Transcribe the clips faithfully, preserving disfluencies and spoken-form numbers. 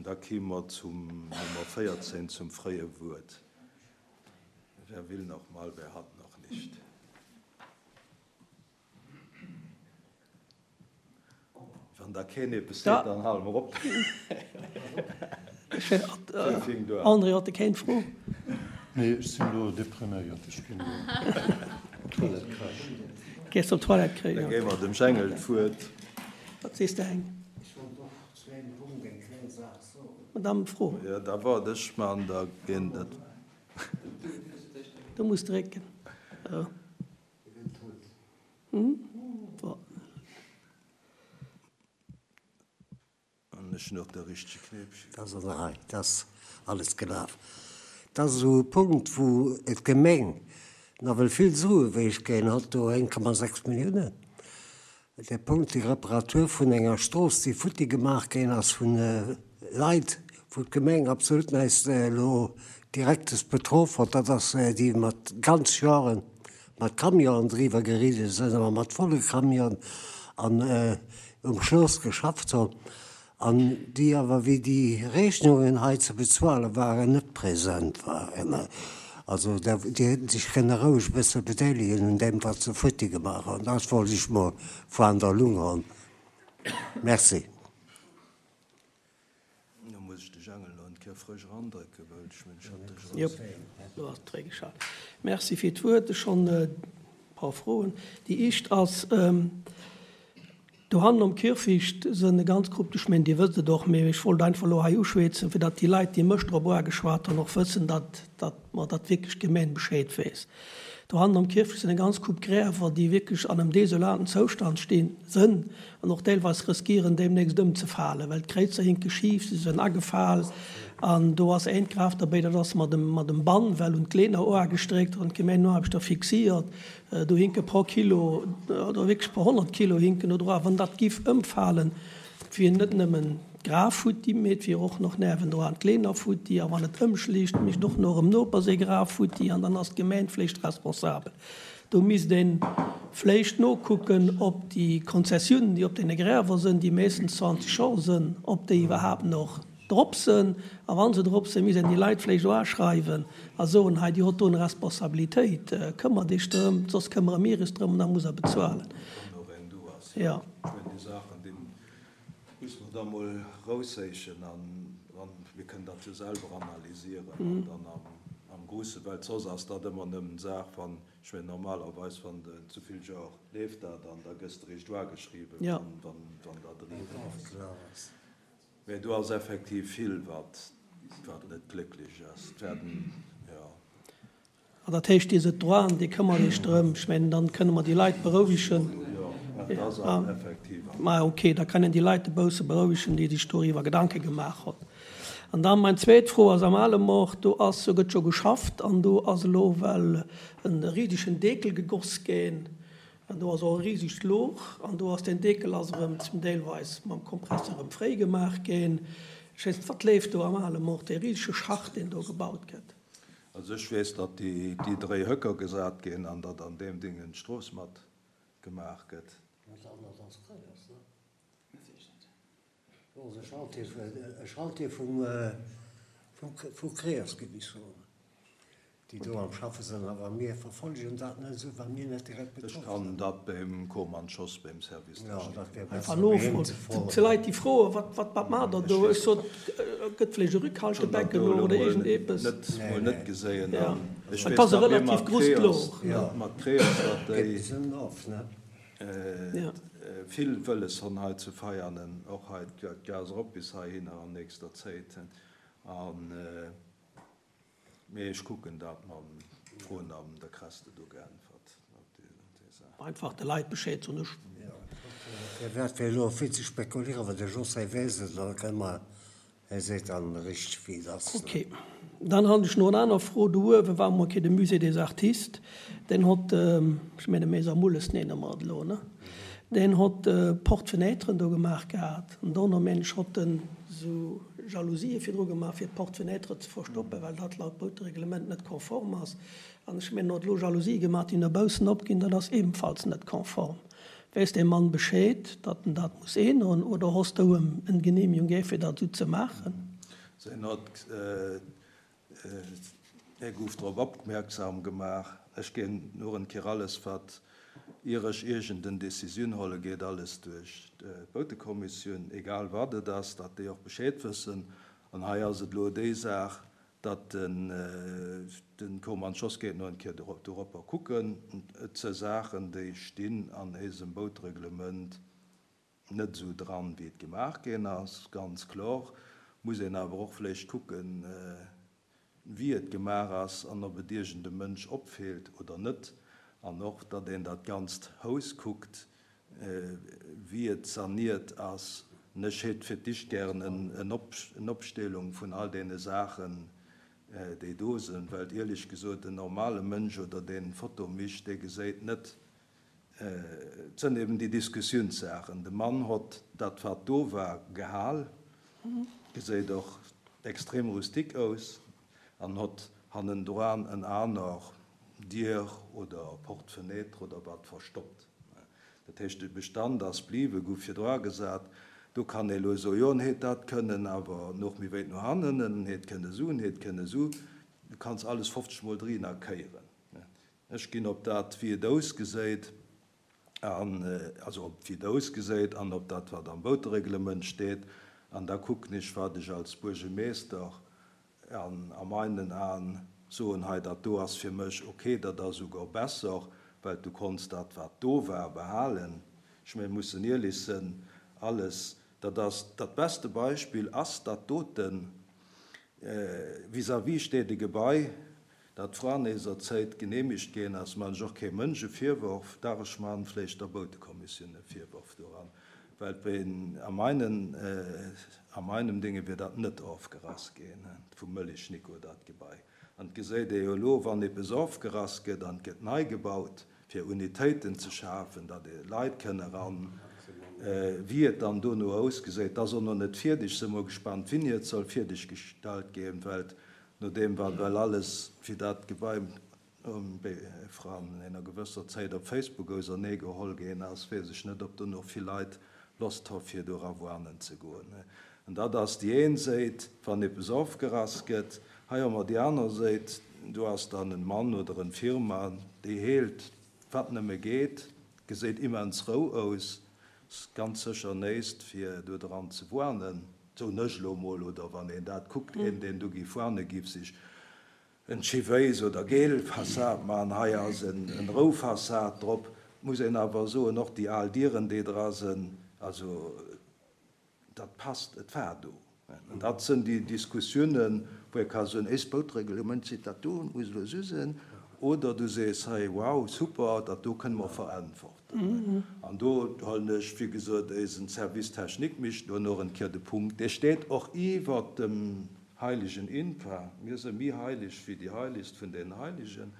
An da kime mer zum Nummer véierzéng, zum fréie Wuert. Wer will noch mal, wer hat noch nicht? Wann da keen eppes seet, dann hale mer op. André, huet de keng Fro? Nee, ech sinn elo depriméiert. Ech ginn elo d'Toilette kréien. Gees op d'Toilette kréien? Da géi mer dem Jengel d'Wuert. Wat sees de, Heng? Ech wollt och zu engem Punkt eng kleng Saach soen. Madame, Fro. Jo, da waart ech mar an da ginn dat. Du muss drécken. An ech hunn och de richtege Knéipchen. Dat ass an der Rei, dat ass alles gelaf. Dat ass esou e Punkt, wou d'Gemeng nawell vill Sue wéilt kréien, hatt do eng Komma sechs Milliounen. De Punkt, déi Reparatur vun enger Strooss, déi futti gemaach ginn ass vu Leit, wou d'Gemeng absolut näischt elo Direktes betroff huet, dat ass déi mat ganz Joren mat Camionen driwwer geridde sinn, awer mat volle Camionen an um Schloss geschafft hunn an déi awer, wéi déi Rechnungen hei ze bezuale waren, net present waren. Also déi hätten sech kënne roueg e bësse bedeelegen un deem, wat se futti gemaach hunn. Dat wollt ech mol voan der Lung hunn. Merci. Lo muss ech de Jangel nach en Kéier frësch erandrécken, well ech mengen, ech hat dech eraus. Jop, lo ass et fréigeschalt. Merci fir d'Wuert. Ech hunn e paar Froen. Déi éischt ass, Dohannen um Kierfecht sënn e ganz Grupp, ech mengen, Dir wësst et och, mee ech wollt einfach elo hei uschwätzen, fir datt déi Leit, déi mech drop uageschwat hunn, och wëssen, datt, datt mer dat wierklech d'Gemeng Bescheed weess. Dohannen am Kierfecht sinn eng ganz Coupe Gräwer, déi wierklech an engem desolaten Zoustand stinn, sënn an och deelweis riskieren, deemnächst ëmzefalen, well d'Kréizer hinke schif, si sënn agefal. An do ass eent Graf derbäi, dat ass mat em, mat em Bann well un d'Leener oagestréckt an d'Gemeenoarbechter fixiert. Do hinke pro Kilo, oder wierklech pro honnert Kilo hinken do dra. Wann dat giff ëmfalen, et wier net nëmmen d'Graf futti, mee et wier och noch nervendroan d'Leener futti. A wann et ëmschlécht, mischt och nach em Noper séi Graf futti an dann ass d'Gemeng vléicht responsabel. Do misst ee vléicht nokucken, ob déi Konzessiounen, déi op deene Gräwer sënn, déi meeschtens zwanzeg Joer sënn, ob déi iwwerhaapt noch drop sënn. A wa se drop sënn, misst een déi Leit vléicht och aschreiwen a soen, hei, Dir hott do eng Responsabilitéit, këmmert Iech drëm, soss këmmere mir is drëm an da musst Der bezuelen. Wann och eng do ass. Jo. Ech mengen, déi Saachen, déi musse mer da mol erausséichen an mir kënnen dat jo selwer analysieren an dann am Gruusse, well soss ass dat ëmmer nëmmen d'Saach, wann, ech mengen, normalerweis, wann de zu vill Joer leeft dat an da gëss de eréischt uageschriwwen, wann dat eriwwer ass. Mä do ass effektiv vill, wat net glécklech ass. Et werden, jo. An dat heescht, Dir sidd droit, Dir këmmert Iech drëm. Ech mengen, dann kënne mer déi Leit berouegen. Jo, dat ass awer effektiv. Mä okay, da kënnen déi Leit e bësse berouegen, déi sech doriwwer Gedanke gemaach hunn. An dann meng zweet Fro ass am Alemort, do ass, do gëtt scho geschafft an do ass elo well e risegen Dekel gegoss ginn an do ass och e risegt Louch an do ass deen Dekel ass erëm zum deelweis mam Kompressor erëm fréi gemaach ginn. Ech weess net, wat leeft do am Alemort, dee risege Schacht, deen do gebaut gëtt? Also ech weess, datt déi dréi Höcker gesat ginn an datt an deem Ding d'Strooss mat gemaach gëtt. Dat anert ass Creos, ne? Do ass e Chantier, e Chantier vum, vu Creos, géif ech soen. Déi do am Schaffe sinn, awer mir verfollegen dat net esou, well mir net direkt Ech betroff sinn. kann dat beim Komann Schoss, beim Service Ja, technique. dat wär Einfach besser, bei him nofroen. ze froen. Zu Leit, déi froen, wat, wat, wat maacht Der do? Ech sot, et gëtt vläicht e Ech hunn dat Rückhaltebecken do elo oder mol iergendepes. net, Nee, mol net nee. geséien. Ja. An ech Et weess, ass e datt mir relativ mat grousst Creos, Louch, ne? mat Creos, datt Gëtt déi bis ënnen of, ne? Ja. vill wëlles hunn hei zu Veianen, och hei d'Gas erop bis heihinner an nächster Zéit. An. Mee ech kucken dat mam Froen an da kress de do geäntwert op déi Saach. Einfach de Leit Bescheed soen. Ech. Firwat fir elo vill ze spekulieren, well de José weess et an da kënne mer, hie seet dann richteg wéi et ass. Ok. Dann han ech no en aner Fro. Do uewe war emol ke de Musée des Artistes, deen hott, ech menge Maison Mulles nenne mer et elo, ne? Deen hott Porte-fenêtren do gemaach gehat an dono meng ech hott en esou Jalousië virdru gemaach fir d'Porte-fenêtre ze verstoppen, well dat laut Bautereglement net konform ass. An ech mengen, en huet elo Jalousië gemaach, déi no baussen opginn, dat ass ebenfalls net konform. Weess dee Mann Bescheed, datt en dat muss eenhoen, oder hoss du em en Genehmigung gär fir dat esou ze maachen? Sen hott hie gouf drop opmierksam gemaach, ech ginn nur en Kéier alles wat ier ech iergend en Decisioun holle geet alles duerch d'Boutekommissioun, egal wat et ass, datt déi och Bescheed wëssen. An hei ass et elo déi Saach, datt den den Koman Schoss geet no en Kéier doropper kucken. Et se Saachen déi stinn an éisem Boutereglement net esou dran wéi et gemaach ginn ass, ganz kloer. Muss een awer och vläicht kucken, wéi et gemaach ass an ob et iergend e Mënsch opfeelt oder net. An och, datt een dat ganzt Haus kuckt, wéi et saniert ass. An ech hätt fir d'éischt gären en Opstellung vun all deene Saachen, déi do sinn, well ierlech gesot, en normale Mënsch oder deen Foto micht, dee geséit net, Et sënn eben déi Diskussiounssaachen. De Mann hott dat wat do war gehal, geséit och extrem rustique aus, an hott hannendran en aner Dier oder Porte-fenêtre oder wat verstoppt. Dat heescht, de Bestand ass bliwwen, gouf virdra gesat. Do kann ee lo soen, jo, en hätt dat kënnen awer nach méi wéit no hannen, en hätt kënne sou, en hätt kënne sou. Du kanns alles fofzeg Mol drina kéieren. Ech ginn op dat, wéi et ausgeséit, an, also op wéi et ausgeséit an op dat, wat am Boutereglement steet, an da kucken ech, wat ech als Buergermeester an a meinen Aen soen, hei, dat do ass fir mech ok, dat ass esouguer besser, well du konns dat, wat do war, behalen. Ech mengen, mir mussen ierlech sinn, alles, dat ass, dat beste Beispill ass dat doten, vis-à-vis steet e Gebai, Dat Franeeser Zéit genehmigt ginn ass, man ech och kee Mënsch e Virworf, dach ech man vléicht der Boutekommissioun e Virworf doran, well et a meinen, a meinem Dinge wier dat net ofgerass ginn vum Möllig Nico, dat Gebai. An et geséit ee jo elo, wann eppes ofgerass gëtt an et gëtt nei gebaut, fir Unitéiten ze schafen, datt Leit kënne eran, wéi et dann dono ausgeséit, dat ass och nach net fierdeg, si mol gespannt, wéini et soll fierdeg gestallt ginn, well No deem wat well alles fir dat Gebai um Befran ener gewësser Zäit op Facebook ausernee geholl ginn ass, weess ech net, ob do nach vill Leit Lost hu fir do era woanen ze goen. An dat ass déi een Séit, wann eppes ofgerass gëtt. Hei hu mer déi aner Séit, do ass dann en Mann oder en Firma, déi heelt wat nëmme geet, geséit immens rou aus, ass ganz sécher néist fir do dran ze woanen. Soen ech elo mol, oder wann een dat kuckt, een deen do giff warne giff sech en Chiwéis oder geel Fassad man, hei ass en rou Fassad drop, muss een awer soen, och déi al Dieren déi dra sënn, also dat passt, et war do. An dat sënn déi Diskussiounen, wou ee ka soen, éist Boutreglement seet dat do, et muss elo esou sënn, Oder du sees, Hey, wow, super, dat do kënne mer veräntworten. An do huelen ech, wéi gesot, éisen Service technique mécht do nach en Kéier de Punkt. Dee steet och iwwert dem heiligen INPA. Mir si méi heilig wéi déi Heiligst vun den Heiligen.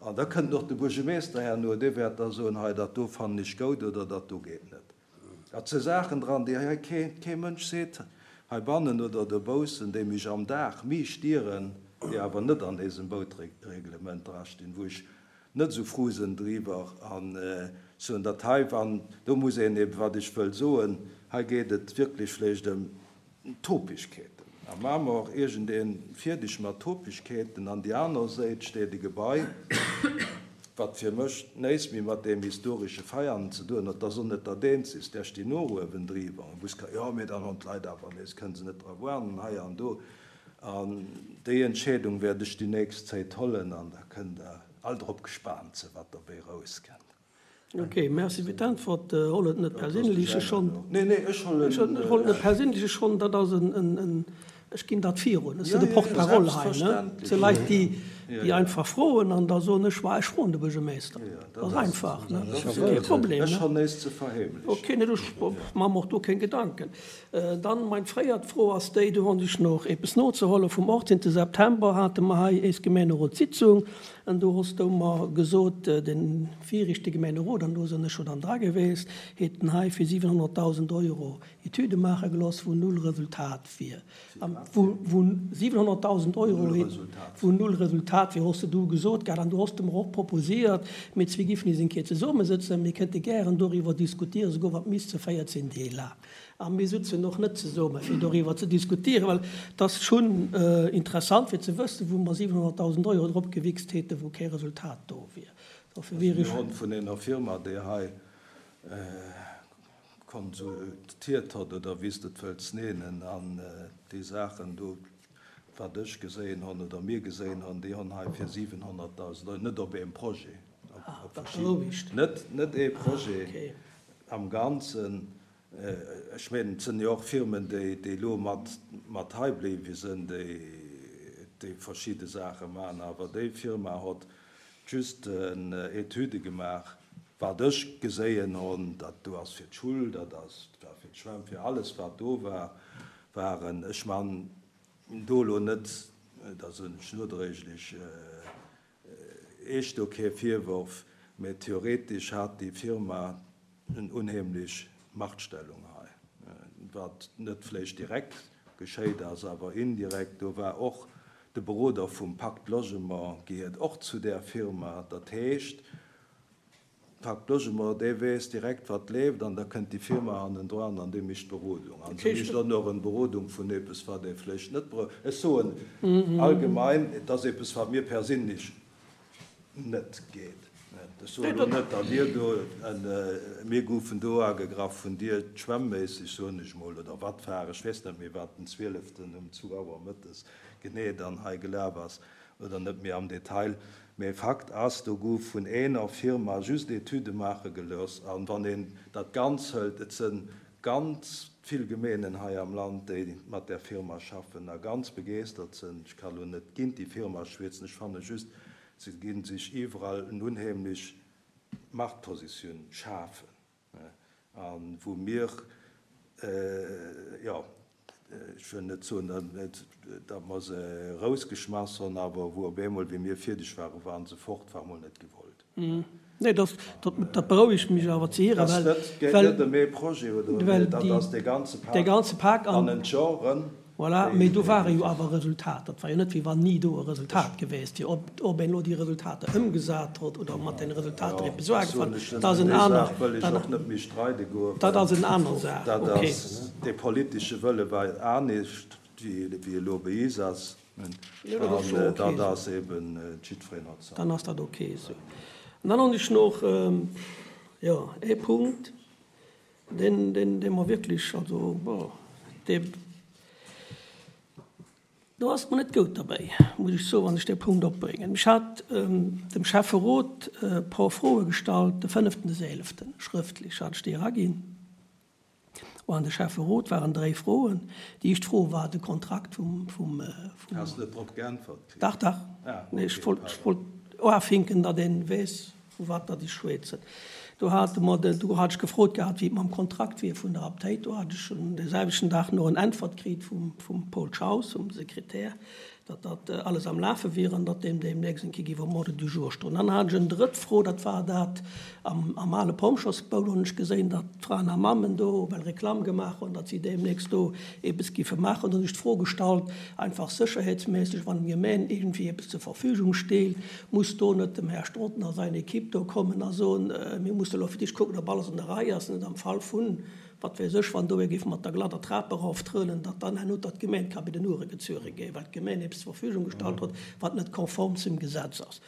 An da kënnt och de Buergermeester herno, dee wäert da soen, Hei, dat do fannen ech goud oder dat do geet net. Et si Saachen dran, déi hei kee Mënsch seet, heibannen oder dobaussen, déi mech am Dag méi stieren, déi awer net an désem Boutreglement drastinn, wou ech net esou frou sinn driwwer a soen, datt hei, wann, do muss een eben, wat ech wëll soen, hei geet et wierklech vläicht ëm Topegkeeten. A maache mer och iergendee fierdeg mat Topegkeeten. An déi aner Séit steet e Gebai, wat fir mech néist méi mat deem historesche Veianen ze doen huet. Dat ass och net dat eenzegst, där stinn och uewendriwwer. An wou jo, mee dann hunn d'Leit awer nees, kënne se net dra wuanen, hei an do. An déi Entscheedung wäert ech déi nächst Zéit hollen an da kënnt Der all drop gespaant sinn, wat derbéi erauskënnt. Ok, merci fir d'Äntwert. Holl et net perséinlech, ech schonn. Nee, nee, ech hollen. Ech hollen net perséinlech, ech schonn, dat ass en, en, ech ginn dat virun. Ech sinn de Porte-parole hei, ne? Et si Leit, déi, déi einfach froen an da soen ech, ma ech froen de Buergermeester. Dat ass einfach, ne? Dat ass kee Problem, ne? Ech hunn näischt ze verheemlechen. Ok, nee, ech maache mer och do keng Gedanken. Dann meng fréiert Fro ass déi, do hunn ech nach eppes nozehuelen, Vum achtzehnte September hate mer hei éis Gemeenerotssitzung an do hues du mer gesot, de viregte Gemeenerot, an do sinn ech jo dann dra geweest, hätten hei fir siwenhonnertdausend Euro Etüde maache gelooss, wou null Resultat wier, wou siwenhonnertdausend Euro, wou null Resultat hat, wéi hos de du gesot gehat, an du hos de mer och proposiert, mir zwee giffen is eng Kéier zesummesëtzen, mir kënnte gären doriwwer diskutieren, souguer wat misst ze véierzehn Deeg laang. A mir sutzen och net zesumme fir doriwwer ze diskutieren, well et ass schonn interessant fir ze wëssen, wou mer siwenhonnertdausend Euro drop gewichst hätten, wou kee Resultat do wier. Dofir wier ech. Mir hunn vun enger Firma, déi hei konsultiert hott, oder wéi s de et wëlls nennen, an déi Saachen do, wat ech geséien honn oder mir geséien honn, déi honn hei fir siwenhonnertdausend Euro, net op eem Projet, op verschidden, net, net ee Projet am Ganzen. Ech mengen, et sënn jo och Firmen, déi, déi elo mat, mat hei bliwwe sënn, déi, déi verschidde Saache maachen, awer déi Firma hott just Etüde gemaach, wat ech geséien honn, dat do ass fir d'Schull, dat ass, war fir d'Schwämm, fir alles wat do war, waren. Ech man do elo net, da soen ech nodréiglech Iech do kee Virworf, mä theoretesch hat déi Firma en unheemlech Machtstellung hei, wat net vläicht direkt geschéit ass, awer indirekt. Do war och de Beroder vum Pacte Logement gehiert och zu där Firma. Dat heescht, Pacte Logement, dee weess direkt, wat leeft, an da kënnt déi Firma hannendran an déi mécht d'Berodung. An se mécht och nach eng Berodung vun eppes, wat ee vläicht net brauch. Ech soen allgemein, et ass eppes, wat mir perséinlech net geet. Ech soen elo net, datt Dir do, mir goufen do agegraff vun dir schwämmméisseg, soen ech mol, oder wat war, ech weess net méi, wat den zwieleften um zwou Auer mëttes genee dann hei gelaf ass, oder net méi am Detail. Mee Fakt ass, do gouf vun eener Firma just Etüde maache gelooss. A wann een dat Ganz hëlt, et sënn ganz vill Gemeenen hei am Land, déi mat där Firma schaffen a ganz begeestert sënn. Ech ka lo net géint déi Firma schwätzen, ech fanne just, se gi sech iwwerall en unheemlech Machtpositioun schafen. A wou mir, jo, ech wëll net soen, datt mer se erausgeschmass hunn, awer wou op eemol, wéi mir fierdeg waren, waren se fort, war emol net gewollt. Nee, dat berouegt mech awer ze héieren, well. Dat geet net ëm ee Projet oder ëm ee, dat ass dee ganze Pak. Dee ganze Pak an. An d'Genren. Voilà, mee do ware jo awer Resultater. Et war jo net, wéi wann ni do e Resultat geweest wier. Ob, ob een elo déi Resultater ëmgesat huet oder mat den Resultater eppes ugefaangen huet, dat ass en aner, dat ass en aner Saach. Dat ass, dee politesche Wëlle war anescht, wéi elo bei is ass. An dat ass eben, jiddwereen hat säin. Dann ass dat ok esou. An dann hunn ech nach, jo, ee Punkt, deen, deen, dee mer wierklech, also, bon, dee, Do ass et mer net goud derbäi, muss ech soen, wann ech dee Punkt opbréngen. Ech hat dem Schäfferot e por Froe gestallt, de fënneften des eeleften, schrëftlech hat ech déi eraginn an de Schäfferot, waren dréi Froen. Déi éischt Fro war de Kontrakt vum, vum, vum. Has net drop geäntwert kritt? Dach, dach. Nee, ech wollt, ech wollt oafinken, datt ee weess, vu wat datt ech schwätzen. Do hate mer de, do hat ech gefrot gehat, wéi et mam Kontrakt wier vun der Aptéit. Do hat ech dee selwechten Dag no en Äntwert kritt vum, vum Paul Schaus, vum Sekretär, datt dat alles am Lafe wier an datt deem deemnächst eng Kéier géif um Ordre du jour stoen. Dann hat ech en drëtt Fro, dat war dat am, am ale Pompjeesbou. Do hunn ech geséin, datt d'Fraen a Mammen do well Reklamm gemaach hunn, datt si deemnächst do eppes giffe maachen. Do hunn ech d'Fro gestallt, einfach sécherheetsméisseg, wann d'Gemeng iergendwéi eppes zur Verfügung steelt, muss do net dem Här Strotten a seine Equipe do kommen a soen, mir musse elo fir d'éischt kucken, ob alles an der Rei ass, net am Fall vun, wat weess ech, wann do ee géif mat der glatter Trap eroftrëllen, datt dann herno datt d'Gemeng ka bei den Ouere gezuere géif, well d'Gemeng eppes zur Verfügung gestallt huet, wat net konform zum Gesetz ass.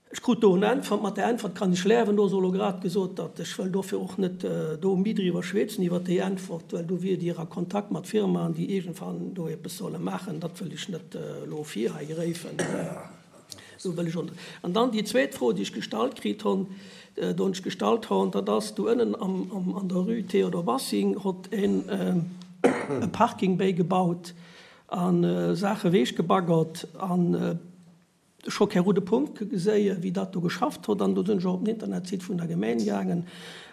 Ech krut do en Äntwert. Mat där Äntwert kann ech lewen. Do ass och elo grad gesot, datt ech wëll dofir och net do méi driwwer schwätzen iwwert déi Äntwert, well do wier Dir a Kontakt mat Firmaen, déi iergendwann do eppes solle maachen. Dat wëll ech net elo vir hei gréifen. Do wëll ech och net. An dann déi zweet Fro, déi ech gestallt kritt hunn, do hunn ech gestallt hunn, dat ass do ënnen am, am, an der Rue Théodore Bassing hott een e Parking bäigebaut a Saache weechgebaggert an, Ech hu kee roude Punkt geséie wéi dat do geschafft huet an do sinn ech och op den Internetsite vun der Gemeng gaangen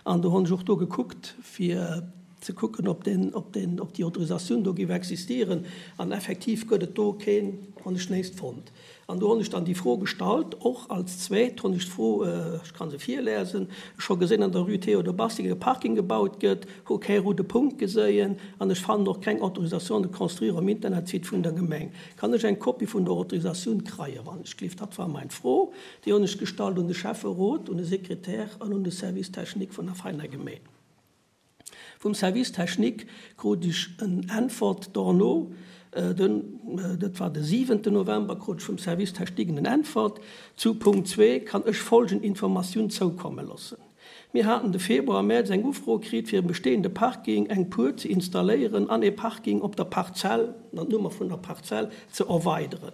an do hunn ech och do gekuckt fir ze kucken, ob den, ob den, ob déi Autorisatioun do géif existieren. An effektiv gëtt et do keen, hunn ech näischt fonnt. An do hunn ech dann déi Fro gestallt, och als zweet hunn ech d'Fro, ech ka se virlesen, ech hu gesinn an der Rue Théodore Bastinger e Parking gebaut gëtt, hu kee roude Punkt geséien an ech fannen och keng Autorisation de construire um Internetsite vun der Gemeng. Kann ech eng Kopie vun der Autorisatioun kreien, wann ech gelift? Dat war mein Fro. Déi hunn ech gestallt un de Schäfferot, un de Sekretär an un de Service technique vun der Veiner Gemeng. Vum Service technique krut ech en Äntwert dorno, den, dat war de siwenten November, krut ech vum Service technique en Äntwert. Zu Punkt zwee kann ech folgend Informatioun zoukomme loossen. Mir haten de Februar, Mäerz eng Ufro kritt, fir um bestehende Parking eng Puert ze installéieren an ee Parking op der Parzell, an d'Nummer vun der Parzell, ze erweideren.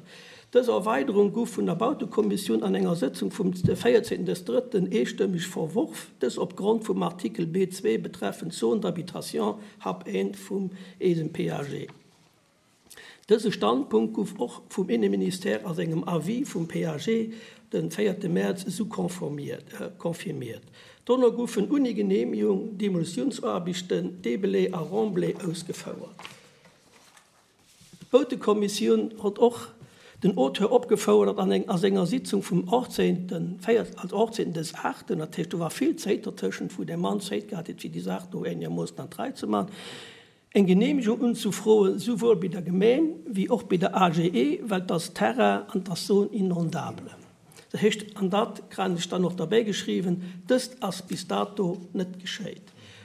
Dës Erweiderung gouf vun der Bautekommissioun an enger Sëtzung vum véierzéngten des drëtten eestëmmeg verworf, dës opgrond vum Artikel B zwee betreffend Zone d'habitation, Hab eent vum eisem P A G. Dëse Standpunkt gouf och vum Inneministère a sengem Avis vum P A G de véierte Mäerz esou confirmiert. Dono goufen ouni Geneemegung Demolitiounsaarbechten, Debelai a Remblai ausgefouert. D'Bautekommissioun huet och den Auteur opgefouerdert an eng a senger Sitzung vum achtzéngten also achtzéngten des aachten, dat heescht do war vill Zéit dertëschent, wou dee Mann Zéit gehat huet fir déi Saach do eenermoossen an d'Rei ze man, eng Geneemegung unzufroen, souwuel bei der Gemeng wéi och bei der A G E, well 't ass Terrain an 't ass Zone inondable. Dat heescht, an dat kran ech dann och derbäi geschriwwen, dëst ass bis dato net geschéit.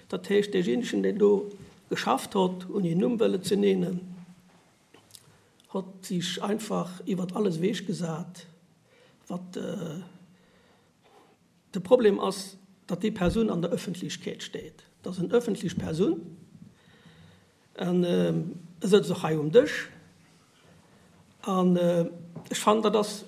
Dat heescht, deejéinegen, deen do geschafft hott, ouni en Numm wëlle ze nennen, hott sech einfach iwwert alles ewech gesat, wat de Problem ass, datt déi Persoun an der Ëffentlechkeet steet. Dat ass en ëffentlech Persoun an e sëtzt och hei um Dësch. An ech fannen, dat ass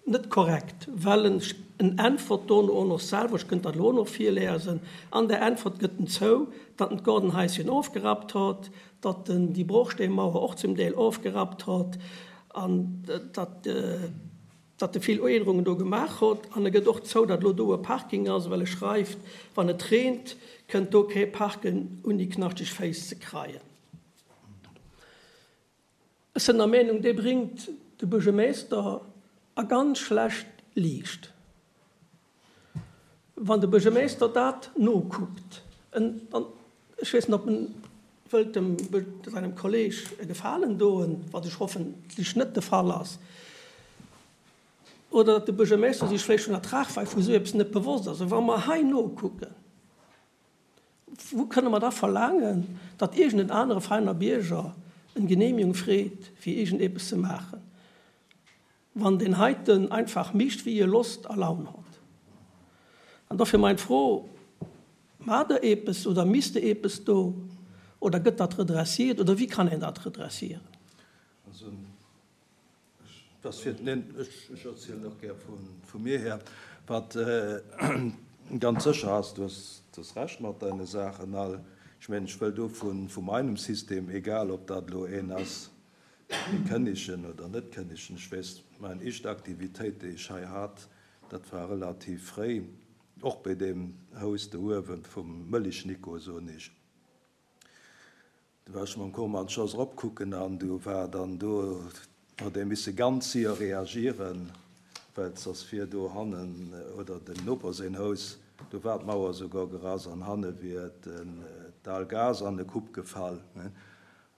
net korrekt, well en en äntwert dono och nach selwer, ech kënnt dat elo och nach virlesen, an der Äntwert gëtt en zou, datt en d'Gaardenhaischen ofgerappt hott, datt en déi Brochsteemauer och zum Deel ofgerappt hott an datt datt e vill Uännerungen do gemaach hott. An e gëtt och zou, datt elo do e Parking ass, well e schreift, wann et reent, kënnt do kee parken, ouni knaschteg Féiss ze kreien. Ech sinn der Meenung, dee bréngt de Buergermeeschter a ganz schlecht Liicht. Wann de Buergermeeschter dat nokuckt, en, an ech weess net, ob en wëllt dem, seinem Kolleg e Gefalen doen, wat ech hoffentlech net de Fall ass, oder datt de Buergermeeschter sech vläicht vun der Tragweid vu sou eppes net bewosst ass. Wa mer hei nokucken, wou kënne mer da verlaangen, datt iergend en anere feiner Bierger en Genehmigung freet, fir iergend eppes ze maachen, wann deen heiten einfach mischt, wéi e Lost a Laun hott? An dofir mein Fro, Maacht Der eppes oder misst Der eppes do oder gëtt dat redressiert oder wéi kann een dat redressieren? Also, ech, fir, neen, ech, ech erzielen och gär vu, vu mir her, wat ganz sécher ass, du hues, du hues Recht mat deine Saachen all. Ech mengen, ech wëll do vu, vu meinem System, egal ob dat elo een ass, ee Kënnegen oder net Kënnegen, ech weess, mein éischt Aktivitéit, déi ech hei hat, dat war relativ fréi, och bei deem Haus do uewe vum Mëlich Nico, soen ech. Do war ech mam Koman Schoss eropkucken an du war dann do, huet ee misse ganz séier reagieren, well soss wier do hannen oder dem Noper säin Haus, do war d'Mauer souguer gerass an hanne wier d'al Gas an e Coup gefall.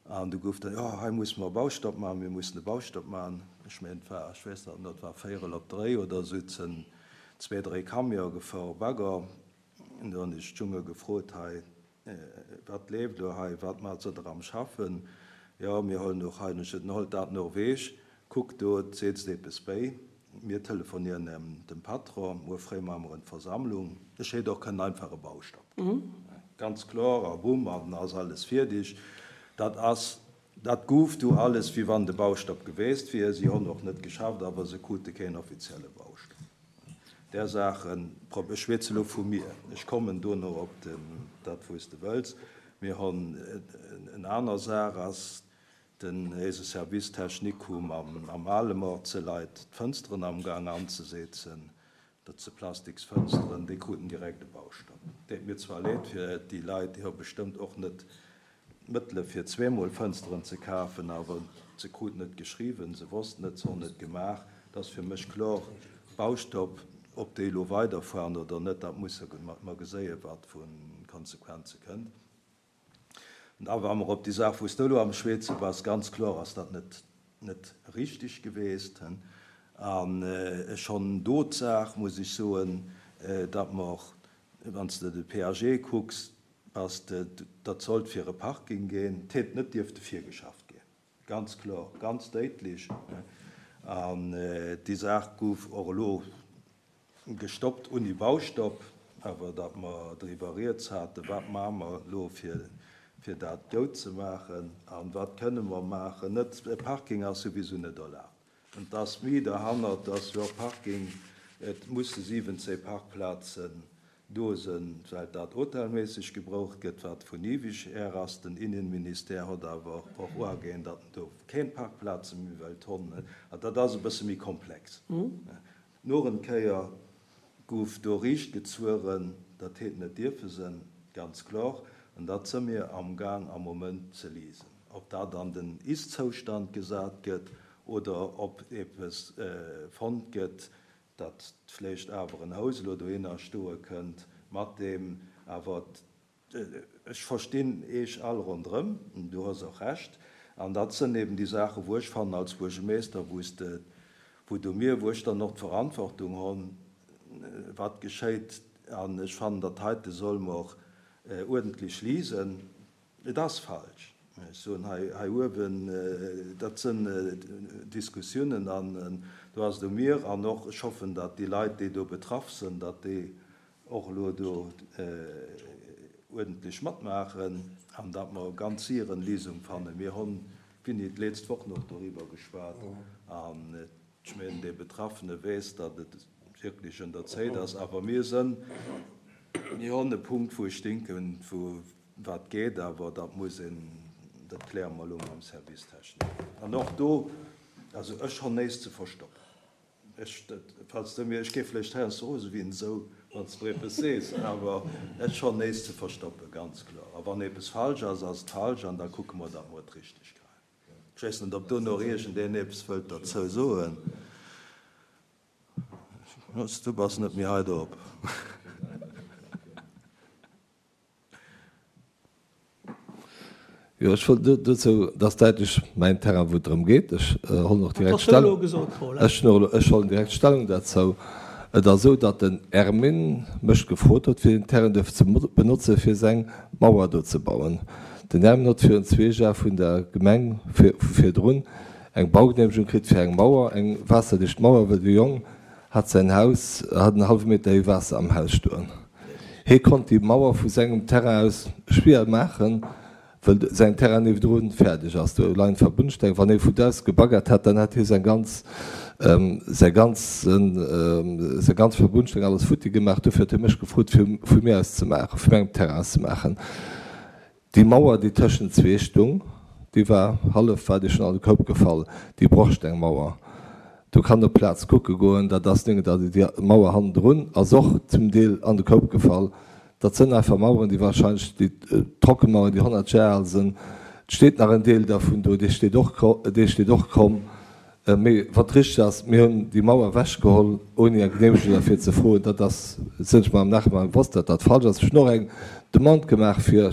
An du gouf dann, jo, hei musse mer e Baustopp maachen, mir mussen e Baustopp maachen. Ech mengen, et war, ech weess dat net, et war véierel op dréi oder esou, et sinn zwee, dréi Camionë gefuer, Bagger. An du hunn ech d'Junge gefrot, hei, wat leeft elo hei, wat maacht se der am Schaffen? Jo, mir huelen och hei, ech sot, holt dat no ewech, kuckt do, et seetzt eppes béi. Mir telefonieren dem Patron, muer fréi maache mer en Versammlung. Ech hätt och kënnen einfach e Baustopp ginn. Ganz kloer, a bumm, an ass alles fierdeg. Dat ass, dat gouf du alles, wéi wann de Baustopp geweest wier. Si hunn och net geschafft, awer se krute keen offizielle Baustopp. Där Saachen, ech schwätze elo vu mir, ech kommen dono op den, dat wou s de wëlls. Mir hunn en aner Saach ass, den eise Service technique hu am, am Alemort ze Leit d'Fënsteren am Gang anzesetzen. Dat se Plastiksfënsteren, déi kruten direkt e Baustopp. Deet mir zwar leed fir déi Leit, déi hu bestëmmt och net d'Mëttele fir zweemol Fënsteren ze kafen, awer se kruten et geschriwwen, se wossten et, se hunn et gemaach. Et ass fir mech kloer, Baustopp, ob déi elo weiderfueren oder net, dat musse mer geséien, wat vu Konsequenze kënnt. An da wa mer op déi Saach, wou s de elo am Schweezen bass, ganz kloer ass dat net, net richtig geweest. An ech honn do d'Saach, muss ech soen, datt mer, wann s de de P A G kucks, bass de, dat sollt fir e Parking ginn, 't hätt net dierfte virgeschafft ginn, ganz kloer, ganz déitlech. An déi Saach gouf och elo gestoppt, ouni Baustopp, awer datt mer driwwer rieds haten, wat maache mer elo fir fir dat goud ze maachen an wat kënne mer maachen. Net, e Parking ass souwisou net erlaabt. An et ass méi derhannert, dass jo Parking, et musse siwwenzéng Parkplazen do sinn, well dat hotelméisseg gebroucht gëtt, wat vun ewig her ass. Den Innenministère hott awer och uageen, datt en do keng Parkplaze méi wëllt honn. An dat ass e bësse méi komplex. Noch en Kéier gouf do riicht gezueren, dat heet net dierfe sinn, ganz kloer. An dat si mir am Gaang am Moment ze liesen. Ob dat an den Ist-Zoustand gesat gëtt oder ob eppes fonnt gëtt, datt vläicht awer en Haus elo dohinner stoe kënnt, mat deem awer, ech verstinn Eech all ronderëm, du hues och Recht. An dat sënn eben déi Saachen, wou ech fannen als Buergermeester, wou s de, wou du mir, wou ech dann och d'Verantwortung honn, wat geschéit. An ech fannen, dat heite soll mer uerdentlech liesen. Et ass falsch. Ech soen hei, hei uewen, dat sënn Diskussiounen an do ass et u mir an och, ech hoffen, datt déi Leit, déi do betraff sënn, datt déi och elo do uerdentlech matmaachen an datt mer ganz séier en Lesung fannen. Mir honn, Winnie, d'letzt Woch nach doriwwer geschwat an ech mengen, dee Betraffene weess, datt et wierklech un der Zéit ass. Awer mir sënn, mir honn e Punkt, wou ech denken, wou wat geet, awer dat muss een, dat kläre mer elo mam Service technique. An och do, also ech honn néist ze verstoppen. Ech, falls de mir, ech géif vläicht heiansdo rose wéi en esou, wann s de mer eppes sees, awer ech honn néist ze verstoppen, ganz kloer. A wann eppes falsch ass, ass et falsch an da kucke mer, datt mer et richteg kréien. Ech weess net, ob do nach iergendeen eppes wëllt derzou soen. Du bass net méi hei drop. Jo, ech wollt dozou, dat ass däitlech mäin Terrain, wou et drëm geet. Ech hollen och direkt Stellung, ech hunn och elo, ech hollen direkt Stellung derzou. Et ass esou, datt den Ermin mech gefrot huet, fir deen Terrain duerf ze benotzen, fir seng Mauer do ze bauen. Den Ermin huet virun zwee Jar vun der Gemeng vu virdrun eng Baugenehmegung kritt fir eng Mauer, eng waasserdicht Mauer, well de Jong hat säin Haus, hat en hallwe Meter héi Waasser am Haus stoen. Hie konnt déi Mauer vu sengem Terrain aus schwier maachen, well säin Terrain niewendrun fäerdeg ass. Do leien d'Verbundsteng. Wann hie vu do aus gebaggert hätt, dann hätt hie säin ganz, säi ganzen, säi ganz Verbundsteng alles futti gemaach. Dofir huet hie mech gefrot, fir vu mir aus ze maachen, vu mengem Terrain aus ze maachen. Déi Mauer, déi tëschent zwee stung, déi war hallef, war déi schonn an de Koup gefall, déi Brochstengmauer. Do kann op d'Plaz kucke goen, dat ass néngen, déi Mauer hannendrun ass och zum Deel an de Koup gefall. Dat sënn einfach Maueren, déi wahrscheinlech, déi Trockenmauern, déi honnert Jar al sënn. Et steet nach en Deel dervun do, dee steet och, dee steet och kromm. Mee wat richteg ass, mir hunn déi Mauer ewechgeholl, ouni eng Genehmegung derfir ze froen. Dat ass, sinn ech mer am Nachhinein bewosst, datt dat falsch ass. Ech hunn och eng Demande gemaach fir,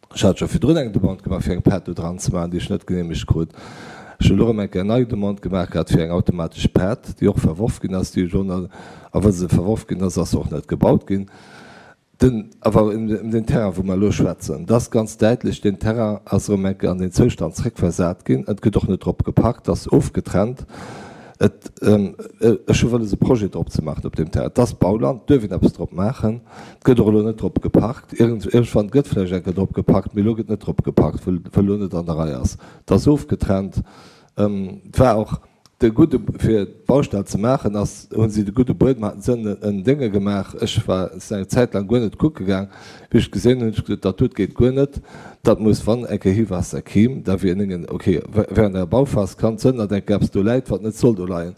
ech hat scho virdrun eng Demande gemaach, fir eng Pad do dran ze maachen, déi ech net genehmegt krut. Ech hunn elo erëm eng Kéier nei Demande gemaach gehat fir eng automatesch Pad, déi och verworf ginn ass, déi ech och nach, a well se verworf ginn ass, ass se och net gebaut ginn. Den, awer ëm den Terrain, wou mer elo schwätzen, dat ass ganz däitlech, deen Terrain ass erëm eng Kéier an deen Zoustand zréckversat ginn. Et gëtt och net drop geparkt, ass ofgetrennt. Et, ech hu wëlles e Projet drop ze maachen op deem Terrain. Et ass Bauland, et duerf een eppes drop maachen. Et gëtt och elo net drop geparkt. Iergend, iergendwann gëtt vläicht eng Kéier drop geparkt, mee elo gëtt net drop geparkt, wëll, wëll elo net an der Rei ass. Et ass ofgetrennt. Et war och de gudde, fir d'Baustell ze maachen, ass, hu si de gudde Buedem, haten se en, en Dénge gemaach. Ech war eng Zäit laang guer net kucke gaang. Wéi ech gesinn hunn, hunn ech gesot, dat dot geet guer net. Dat muss, wann eng Kéier Héiwaasser kimm, da wier en Déngen, okay, während der Bauphas kann et sënn, datt eng Kéier eppes do läit, wat net soll do leien.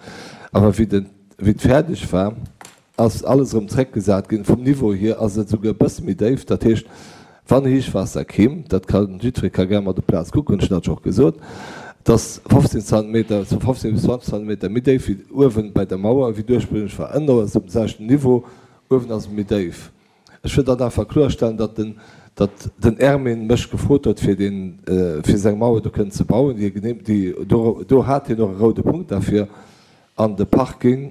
Awer wéi den, wéi et fäerdeg war, ass alles erëm zréckgesat ginn. Vum Niveau hier ass et esouguer e bësse méi déif. Dat heescht, wann Héichwaasser kéim, dat ka jiddweree ka gär mat op d'Plaz kucken, ech hunn dat scho gesot, et ass fofzéng Zentimeter, fofzéng bis zwanzeg Zentimeter méi déif wéi uewen bei der Mauer, wéi et ursprünglech war. Ënner ass et op dem selwechten Niveau, uewen ass et méi déif. Ech wëll dat einfach kloerstellen, datt den, datt den Ermin mech gefrot huet, fir deen, fir seng Mauer do kënnen ze bauen, déi e genehm, déi, do, do hat hien och e roude Punkt derfir, an de Parking,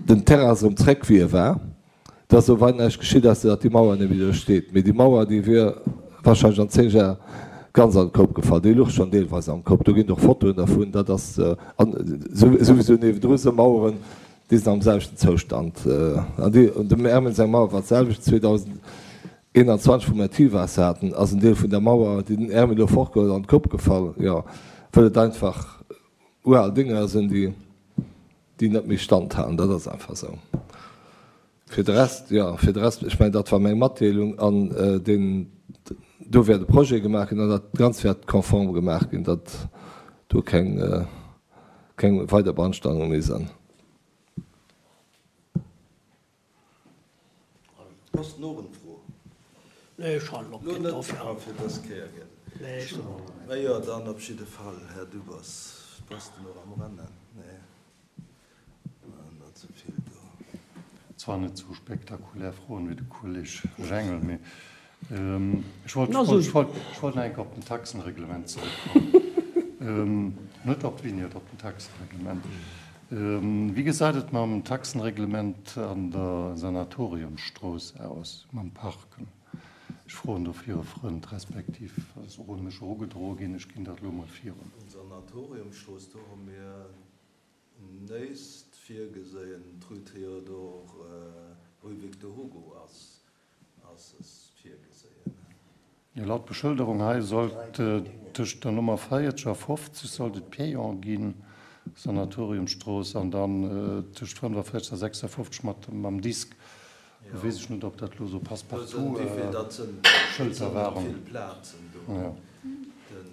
den Terrain ass erëm zréck wéi e war. Et ass elo weider näischt geschitt, ausser datt déi Mauer net méi do steet. Mee déi Mauer, déi wier wahrscheinlech an zéng Jar ganz an d'Koup gefall. Déi luch schonn deelweis am Koup. Do ginn et och Fotoen dervun. Dat ass, an souwisou niewendru si Maueren, déi sinn am selwechten Zoustand. An déi, dem Ermin seng Mauer war d'selwecht. zweedausendeenanzwanzeg, wou mer d'Tiefwaasser haten, ass en Deel vun der Mauer, déi den Ermin elo fortgeholl huet, an d'Koup gefall. Jo, well et einfach ural Dinger sinn, déi, déi net méi Stand halen. Dat ass einfach esou. Fir de Rest, jo, fir de Rest, ech mengen, dat war meng Matdeelung an deen, do wäert e Projet gemaach ginn an dat Ganzt wäert konform gemaach ginn, datt do keng, keng weider Beanstandunge méi sinn. Ass en och en Fro? Nee, ech halen op, Lo ginn net dofir. Ah, fir dës Kéier, gell? Nee, ech soen och net. Mä jo, dann op jidde Fall, Här Dubos, bass de nach am Rennen? Nee. Zwar net esou spektakulär Froen wéi de Kolleg Jengel, mee ech wollt nach eng Kéier op den Taxenreglement zeréckkommen. Net op d'Vignette, op den Taxenreglement. Wéi gesäit et mam Taxenreglement an der Sanatoriumstrooss aus, mam Parken? Ech froen do fir e Frënd, respektiv ass och un mech erugedroe ginn. Ech ginn dat elo mol virun. Sanatoriumstrooss, do hu mir Néist virgeséien, d'Rue Théodore, Rue Victor Hugo ass ass es virgeséien. Jo, laut Beschëlderung hei sollt tëscht der Nummer véierzeg a fofzeg sollt et payant ginn, Sanatoriumstrooss, an dann tëscht fënnefaféierzeg a sechsafofzeg mat mam Disk. Lo weess ech net, ob dat elo sou Passe-partout Schëlter waren. Vill Plazen do. Den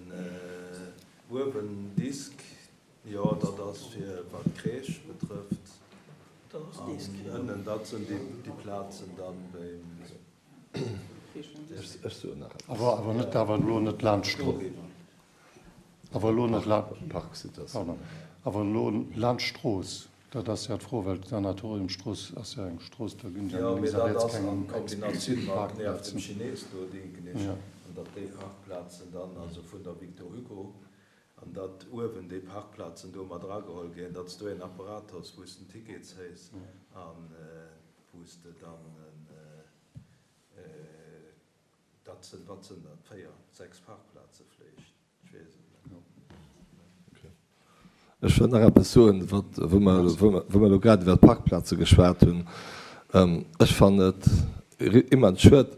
uewen Disk. Jo, dat ass fir wat d'Crèche betrëfft. An ënnen, dat sinn déi Plazen dann beim. Ech soen nach eppes. Awer awer net, awer elo net laanscht d'Strooss. Awer elo net la, pardon, awer elo laanscht d'Strooss. Dat ass jo d'Fro, well d'Sanatoriumstrooss ass jo eng Strooss, do ginn jo Jo, mee lénks a dat riets ass keng an Kombinatioun explizit mat nieft dem Parkplazen. Chines do, denken ech, Jo. an datt déi Parkplazen dann, also vun der Victor Hugo, An datt uewen déi Parkplazen do mat erageholl ginn, datt s du een Apparat hues, wou s de en Ticket zéis a wou s de dann en, dat sinn, wat sinn dat, véier, sechs Parkplaze vléicht, ech weess et net. Ech wëll nach eppes soen, wat, wou mer, wou mer elo grad iwwert d'Parkplaze geschwat hunn. Ech fannen et immens schued,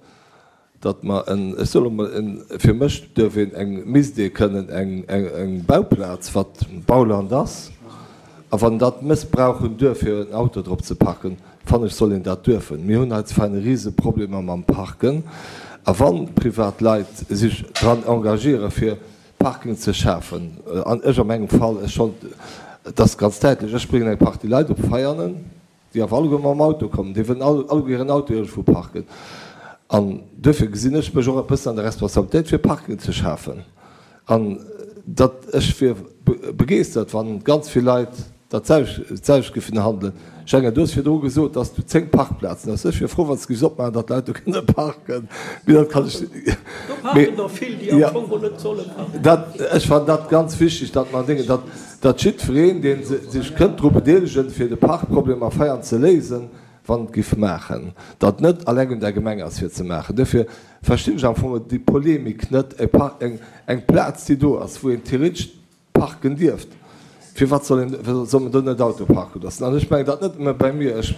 datt mer en, ech soe lo mol en, fir mech duerf een eng, misst ee kënnen eng, eng Bauplaz, wat Bauland ass, a wann een dat mëssbrauchen duerf fir en Auto drop ze parken, fannen ech soll een dat duerfen. Mir hunn hei zu Veinen rise Problemer mam Parken, a wa privat Leit sech dran engagiere fir Parking ze schafen, an ech a mengem Fall, ech schonn, et ass ganz däitlech, ech bréngen eng Partie Leit op Veianen, déi awer alleguer mam Auto kommen, déi wëllen alleguer hiren Auto iergendwou parken. An duerfir gesinn ech mech och e bëssen an der Responsabilitéit, fir Parking ze schafen. An datt ech wier begeeschtert, wa ganz vill Leit dat selwecht géifen handelen. Jenger, du hues virdru gesot, datt s du zéng Parkplazen hues. Ech wier frou, wann s de géifs opmaachen, datt d'Leit do kënne parken. Mee dat kann ech. Do parken der vill, déi am Fong mol net solle parken. Dat, ech fannen dat ganz wichteg, datt mer Déngen, datt, datt jiddwereen, dee sech kënnt dru bedeelegen, fir de Parkproblem a Veianen ze léisen, wann et giff maachen, datt net alleng un der Gemeng ass fir ze maachen. Duerfir verstinn ech am Fong déi Polemik net. E Park, eng, eng Plaz, déi do ass, wou een theoretesch parken dierft, firwat soll een, soll men do net Auto parke loossen? An ech mengen dat net nëmme bei mir. Ech,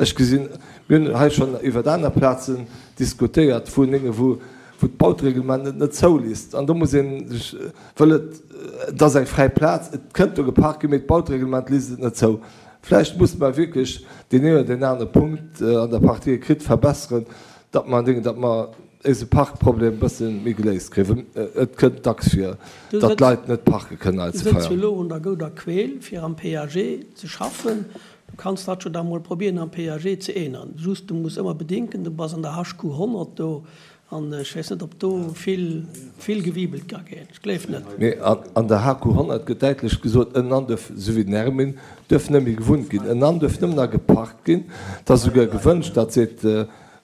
ech gesinn, mir hunn hei schonn iwwert aner Plazen diskutéiert, wou Nénge, wou, wou d'Bautereglement et net zouliisst. An do muss ee sech, wëll et, et ass eng fräi Plaz, et kënnt do geparkt ginn, mee d'Bautereglement liisst et net zou. Vläicht musse mer wierklech deen een oder deen anere Punkt an der Partie écrite verbesseren, datt mer, datt mer éise Parkproblem e bësse méi geléist kréien. Well et kënnt dacks vir, datt d'Leit net parke kënnen hei Du zu sëtz jo Veianen. elo un der gouder Queel, fir am P A G ze schaffen. Du kanns dat jo da mol probieren am PAG ze änneren. Just du muss ëmmer bedenken, du bass an der HQ honnert do an ech weess net, ob do vill, vill gewibelt ka ginn. Ech gleef net. Mee an der HQ honnert gëtt däitlech gesot, ënnenan duerf, esou wéi den Ermin, duerf net méi gewunnt ginn. Ënnenan duerf nëmmen nach geparkt ginn. Et ass esouguer gewënscht, dat seet,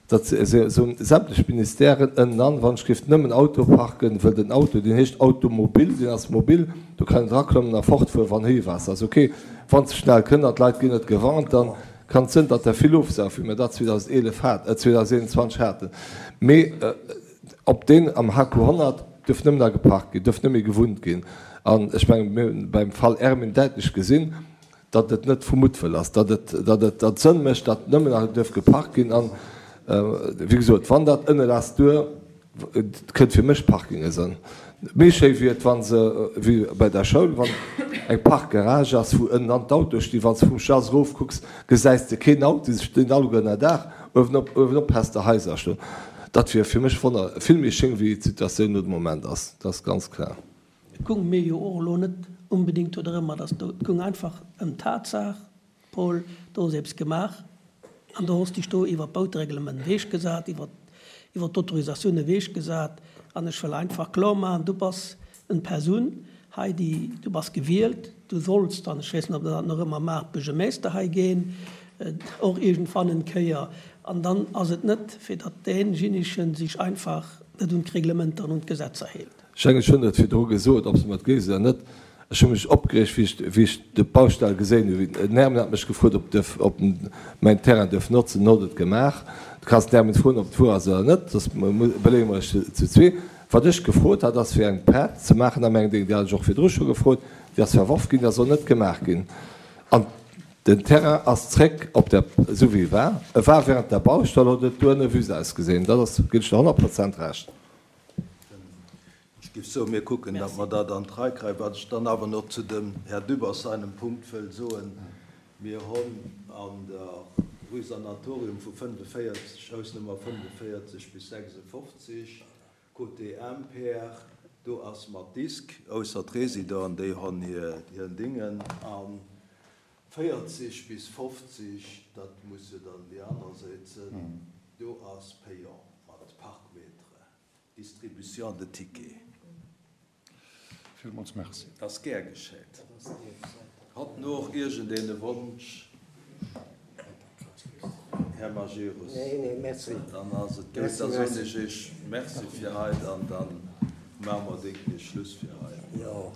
dat soen sämtlech Ministèren, ënnenan, wann ech géif nëmmen Auto parken, wëll den Auto, deen heescht Automobil, deen ass mobil, do kann een draklommen a fortfueren, wann Héiwaasser ass. Ok, wann se schnell kënnt an d'Leit ginn net gewarnt, dann kann et sënn, datt der vill ofsaufen, wéi mir dat zweedausendeelef hat, zweedauseneenundzwanzeg haten. Mee op deen am HQ honnert duerf nëmmen nach geparkt ginn, duerf net méi gewunnt ginn. An ech mengen, mir hunn beim Fall Ermin däitlech gesinn, datt et net vu Muttwëll ass, datt et, datt et, datt et Sënn mécht, datt nëmmen nach duerf geparkt ginn. An, wéi gesot, wann dat ënne lass duer kënnt, fir mech Parkinge sënn méi schéi wier et, wa se, wéi bei der Schoul, wann eng Parkgarage ass, wou ënnen an d'Autoe stinn, wann s de vum Schlass erof kucks, gesäis de keen Auto, se stinn alleguer ënnerdaach, uewenop, uewenop häss de Haiser stoen. Dat wier fir mech wonner, vill méi schéin, wéi d'Situatioun no de Moment ass, dat ass ganz klar. Et goung mir jo och elo net onbedéngt do drëm, dass do, et goung einfach ëm d'Tatsaach, Paul, do ass eppes gemaach an do hues dech do iwwer d'Bautereglement ewechgesat, iwwer, iwwer d'Autorisatioun ewechgesat an ech wëll einfach kloer maachen, du bass en Persoun hei, déi, du bass gewielt, du solls dann, ech weess net, ob Der dat nach ëmmer maacht, Buergermeester hei ginn, och iergendwann en Kéier, an dann ass et net, fir datt deenjenigen sech einfach net un d'Reglementer an un d'Gesetzer hält. Ech mengen, ech hunn et virdru gesot, ob se mer et gleewen oder net, ech hu mech opgereegt, wéi ech, wéi ech d'Baustell geséin hunn. Den Hermann hat mech gefrot, ob duerf, ob en mäin Terrain duerf notzen. En huet et gemaach. Du kanns den Hermann froen, ob et wuer ass oder net, soss beleeë mer iech zu zwee. Wat ech gefrot hat, ass fir eng Prett ze maachen a mengem Ding. Déi hat ech och virdru scho gefrot. Déi ass verworf ginn, déi ass och net gemaach ginn. An den Terrain ass zréck op der, esou wéi e war. E war während der Baustell, huet et duerno wüst ausgesinn. Dat ass, ginn ech der honnert Prozent Recht. Ech géif soen, mir kucken, datt mer dat an d'Rei kréien. Wat ech dann awer nach zu dem Här Dübbers seinem Punkt wëll soen, Mir hunn an der Rue Sanatorium vu fënnefvéierzeg, Hausnummer fënnefvéierzeg bis sechsundfofzig, côté Imper, do ass mat Disk, ausser d'Résidenten, déi hunn hir Dingen, a véierzeg bis fofzeg, dat muss jo dann déi aner Säit sinn, do ass payant mat Parkmetere, Distribution de tickets. Villmools Merci. Ass gär geschéit. Hat noch iergendeen e Wonsch? Här Majerus. Nee, nee, merci. Dann ass et gutt. Da soen ech Iech Merci fir haut an da maache mer déck Schluss fir haut. Jo.